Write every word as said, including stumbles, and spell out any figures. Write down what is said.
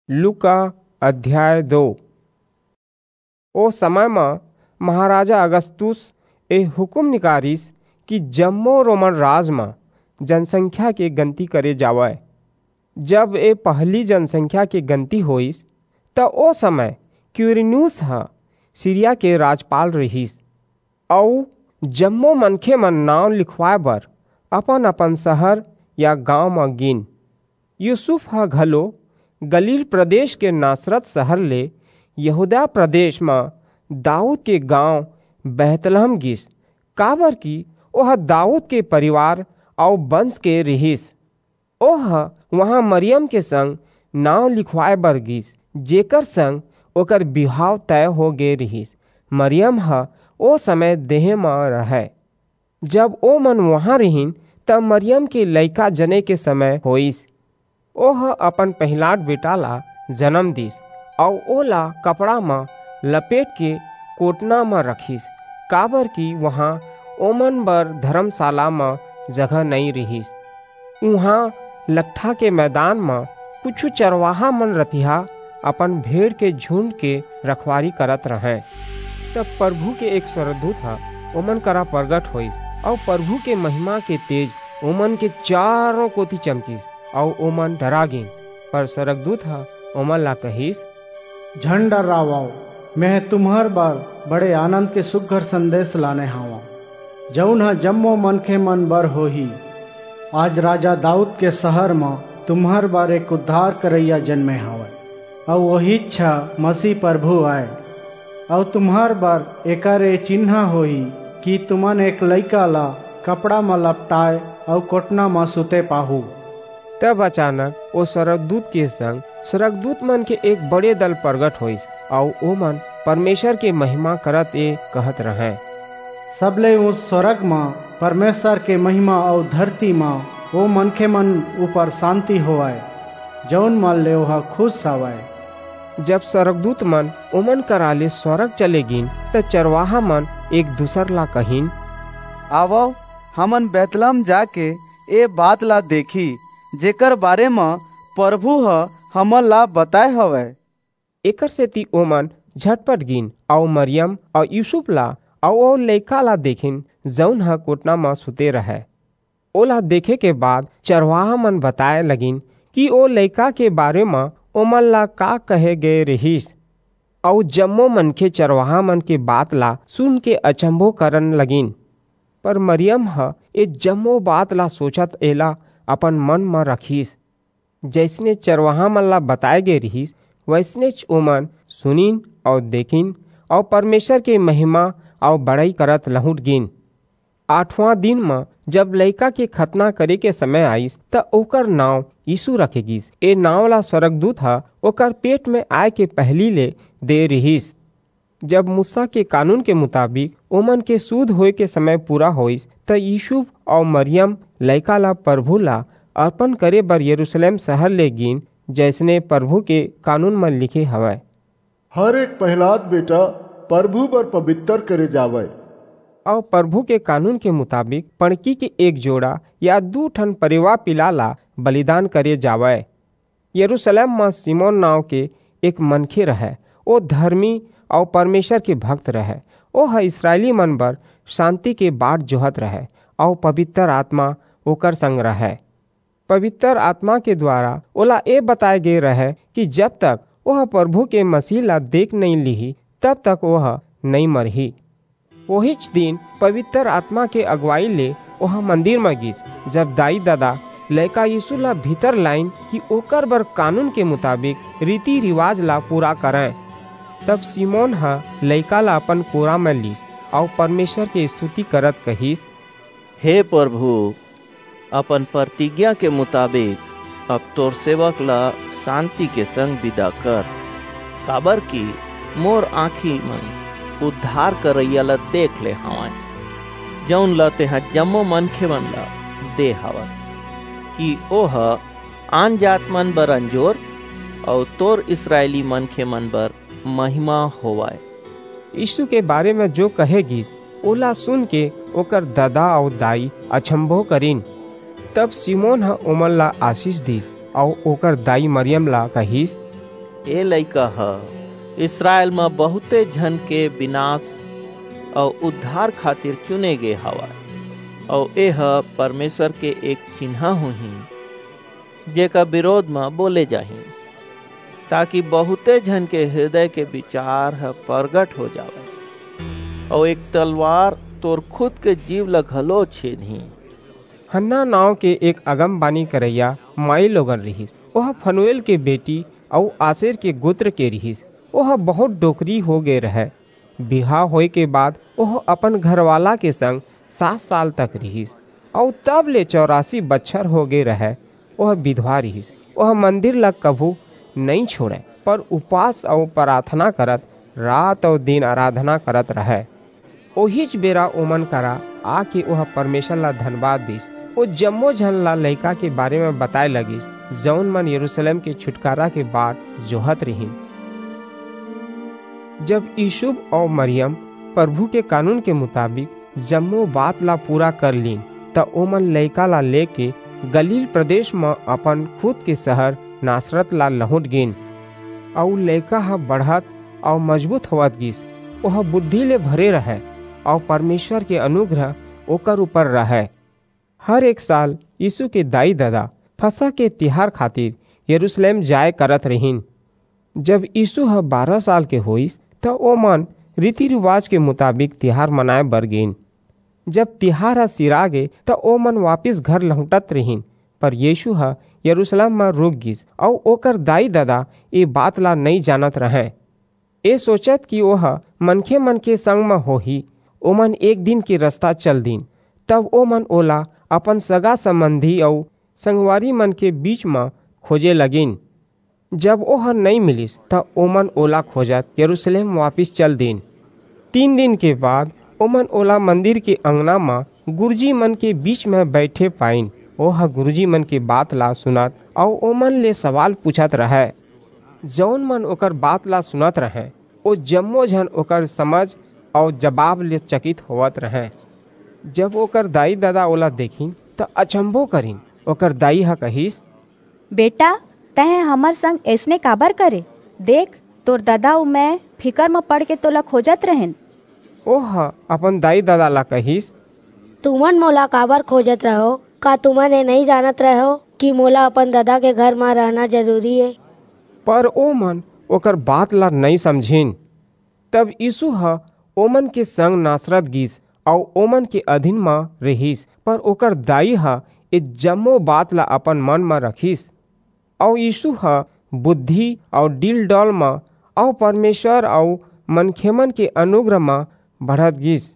लूका अध्याय दो। ओ समय म महाराजा अगस्तुस ए हुकुम निकारिस कि जम्मो रोमन राज म जनसंख्या के गनती करे जावय। जब ए पहली जनसंख्या के गनती होइस, त ओ समय क्विरिनियुस ह सीरिया के राजपाल रिहिस। अऊ जम्मो मनखे मन नांव लिखवाय बर अपन-अपन सहर या गांव म गीन। यूसुफ ह घलो गलील प्रदेश के नासरत सहर ले यहूदा प्रदेश म दाऊद के गांव बैतलहम गीस, काबरकि ओह दाऊद के परिवार अऊ बंस के रिहिस। ओह उहां मरियम के संग नांव लिखवाय बर गीस, जेकर संग ओकर बिहाव तय हो गे रिहिस। मरियम ह ओ समय देहें म रहय। जब ओमन उहां रिहिन, त मरियम के लइका जने के समय होइस। ओह अपन पहिलांट बेटा ला जनम दीस, अऊ ओला कपड़ा म लपेट के कोटना म रखिस, काबरकि उहां ओमन बर धरमसाला म जगह नइं रिहिस। उहां लकठा के मैदान म कुछू चरवाहा मन रतिहा अपन भेड़ के झुंड के रखवारी करत रहंय। तब परभू के एक स्वरगदूत ह ओमन करा परगट होईस, अऊ परभू के महिमा के तेज ओमन के चारों कोति चमकिस, अऊ ओमन डरा गीन। पर स्वरगदूत ह ओमन ला कहिस, झन डर्रावव, मेंह तुम्हर बर बड़े आनंद के सुघर संदेस लाने हवंव, जऊन ह जम्मो मनखे मन बर होही। आज राजा दाऊद के सहर म तुम्हर बर एक उद्धार करइया जनमे हवय, अऊ ओहीच ह मसीह परभू अय। अऊ तुम्हर बर एकर ए चिन्हा होही कि तुमन एक लइका ला कपड़ा म लपटाय अऊ कोटना म सुते पाहू। तब अचानक ओ स्वरगदूत के संग स्वरगदूत मन के एक बड़े दल परगट होईस, अऊ ओमन परमेसर के महिमा करत ए कहत रहंय, सबले ऊंच स्वरग म परमेसर के महिमा अऊ धरती म ओ मनखे मन ऊपर सांति होवय, जऊन मन ले ओह खुस हवय। जब स्वरगदूत मन ओमन करा ले स्वरग चले गीन, त चरवाहा मन एक दूसर ला कहिन, आवव, हमन बैतलहम जाके ए बात ला देखी, जेकर बारे म परभू ह हमन ला बताय हवय। एकरसेति ओमन झटपट गीन, अऊ मरियम अऊ यूसुफ ला अऊ ओ लइका ला देखिन, जऊन ह कोटना म सुते रहय। ओला देखे के बाद चरवाहा मन बताय लगिन कि ओ लइका के बारे म ओमन ला का कहे गे रिहिस। अऊ जम्मो मनखे चरवाहा मन के बात ला सुन के अचंभो करन लगिन। पर मरियम ह ए जम्मो बात ला सोचत एला अपन मन म रखिस। जइसने चरवाहा मन ला बताय गे रिहिस, वइसनेच ओमन सुनिन अऊ देखिन, अऊ परमेसर के महिमा अऊ बड़ई करत लहुंट गीन। आठवां दिन म जब लइका के खतना करे के समय आईस, त ओकर नांव यीसू रखे गीस। ए नांव ला स्वरगदूत ह ओकर पेट म आय के पहिली ले दे रिहिस। जब मूसा के कानून के मुताबिक ओमन के सुध होय के समय पूरा होईस, त यूसुफ अऊ मरियम लइका ला परभू ला अरपन करे बर यरूसलेम सहर ले गीन, जइसने परभू के कानून म लिखे हवय, हर एक पहिलाद बेटा परभू बर पबितर करे जावय। अऊ परभू के कानून के मुताबिक पड़की के एक जोड़ा या दू ठन परेवा पिला ला बलिदान करे जावय। यरूसलेम म सिमोन नांव के एक मनखे रहय। ओ धरमी अऊ परमेसर के भक्त रहय। ओह इसरायली मन बर सांति के बाट जोहत रहय, अऊ पबितर आतमा ओकर संग रहय। पबितर आतमा के दुवारा ओला ए बताय गे रहय कि जब तक ओह परभू के मसीह ला देख नइं लिही, तब तक ओह नइं मरही। ओहीच दिन पबितर आतमा के अगुवई ले ओह मंदिर म गीस। जब दाई-ददा लइका यीसू ला भीतर लाईन कि ओकर बर कानून के मुताबिक रीति-रिवाज ला पूरा करंय, तब सिमोन ह लइका ला अपन कोरा म लीस अऊ परमेसर के स्तुति करत कहिस, हे परभू, अपन परतिज्ञा के मुताबिक अब तोर सेवक ला सांति के संग बिदा कर, काबरकि मोर आंखी मन उद्धार करइया ला देख ले हवंय, जऊन ला तेंह जम्मो मनखे मन ला दे हवस, कि ओह आनजात मन बर अंजोर अऊ तोर इसरायली मनखे मन बर महिमा होवय। यीसू के बारे म जो कहे गीस, ओला सुन के ओकर ददा अऊ दाई अचंभो करिन। तब सिमोन ह ओमन ला आसिस दीस अऊ ओकर दाई मरियम ला कहिस, ए लइका ह इसरायल म बहुते झन के विनाश अउ उद्धार खातिर चुने गे हवय, अउ ए ह परमेश्वर के एक चिन्हा होही, जेकर विरोध म बोले जाही, ताकि बहुते झन के हृदय के विचार ह प्रगट हो जावय, अउ एक तलवार तोर खुद के जीव ल घलो छेदही। हन्ना नांव के एक अगमबानी करइया माई लोगन रिहिस। ओह फनुएल के बेटी अऊ आसेर के गोत्र के रिहिस। ओह बहुत डोकरी हो गे रहय। बिहाव होय के बाद ओह अपन घरवाला के संग सात साल तक रिहिस, अऊ तब ले चौरासी बछर हो गे रहय। ओह विधवा रिहिस। ओह मंदिर ला कभू नइं छोड़य, पर उपास अऊ प्रार्थना करत रात अऊ दिन आराधना करत रहय। ओहीच बेरा ओमन करा आके ओह परमेसर ला धनबाद दीस। ओ जम्मो झन ला लइका के बारे म बताय लगिस, जऊन मन यरूसलेम के छुटकारा के बाट जोहत रिहिन। जब यूसुफ अऊ मरियम परभू के कानून के मुताबिक जम्मो बात ला पूरा कर लीन, त ओमन लइका ला लेके गलील प्रदेस म अपन खुद के सहर नासरत ला लहुंट गीन। अऊ लइका ह बढ़त अऊ मजबूत होवत गीस। ओह बुद्धि ले भरे रहय, अऊ परमेसर के अनुग्रह ओकर ऊपर रहय। हर एक साल यीसू के दाई-ददा फसह के तिहार खातिर यरूसलेम जाय करत रिहिन। जब यीसू ह बारह साल के होईस, त ओमन रीति-रिवाज के मुताबिक तिहार मनाय बर गीन। जब तिहार ह सिरा गे, त ओमन वापिस घर लहुंटत रिहिन, पर यीसू ह यरूसलेम म रूक गीस, अऊ ओकर दाई-ददा ए बात ला नइं जानत रहंय। ए सोचत कि ओह मनखेमन के संग म होही, ओमन एक दिन के रसता चल दीन। तब ओमन ओला अपन सगा-संबंधी अऊ संगवारीमन के बीच म खोजे लगिन। जब ओह नइं मिलिस, त ओमन ओला खोजत यरूसलेम वापिस चल दीन। तीन दिन के बाद ओमन ओला मंदिर के अंगना म गुरूजीमन के बीच म बईठे पाईन। ओह गुरूजीमन के बात ला सुनत अऊ ओमन ले सवाल पूछत रहय। जऊन मन ओकर बात ला सुनत रहंय, ओ जम्मो झन ओकर समझ अऊ जबाब ले चकित होवत रहंय। जब ओकर दाई-ददा ओला देखिन, त अचंभो करिन। ओकर दाई ह कहिस, "बेटा, तैं हमर संग अइसने काबर करे? देख, तोर ददा अऊ मैं फिकर म पड़ के तोला खोजत रहेन।" ओह अपन दाई-ददा ला कहिस, "तुमन मोला काबर खोजत रहेव? का तुमन ए नइं जानत रहेव कि मोला अपन ददा के घर म रहना जरूरी ए?" पर ओमन ओकर बात ला नइं समझिन। तब यीसू ह ओमन के संग नासरत गीस अऊ ओमन के अधीन म रिहिस, पर ओकर दाई ह ए जम्मो बात ला अपन मन म रखिस। अऊ यीसू ह बुद्धि अऊ डील-डौल म अऊ परमेसर अऊ मनखेमन के अनुग्रह म बढ़त गीस।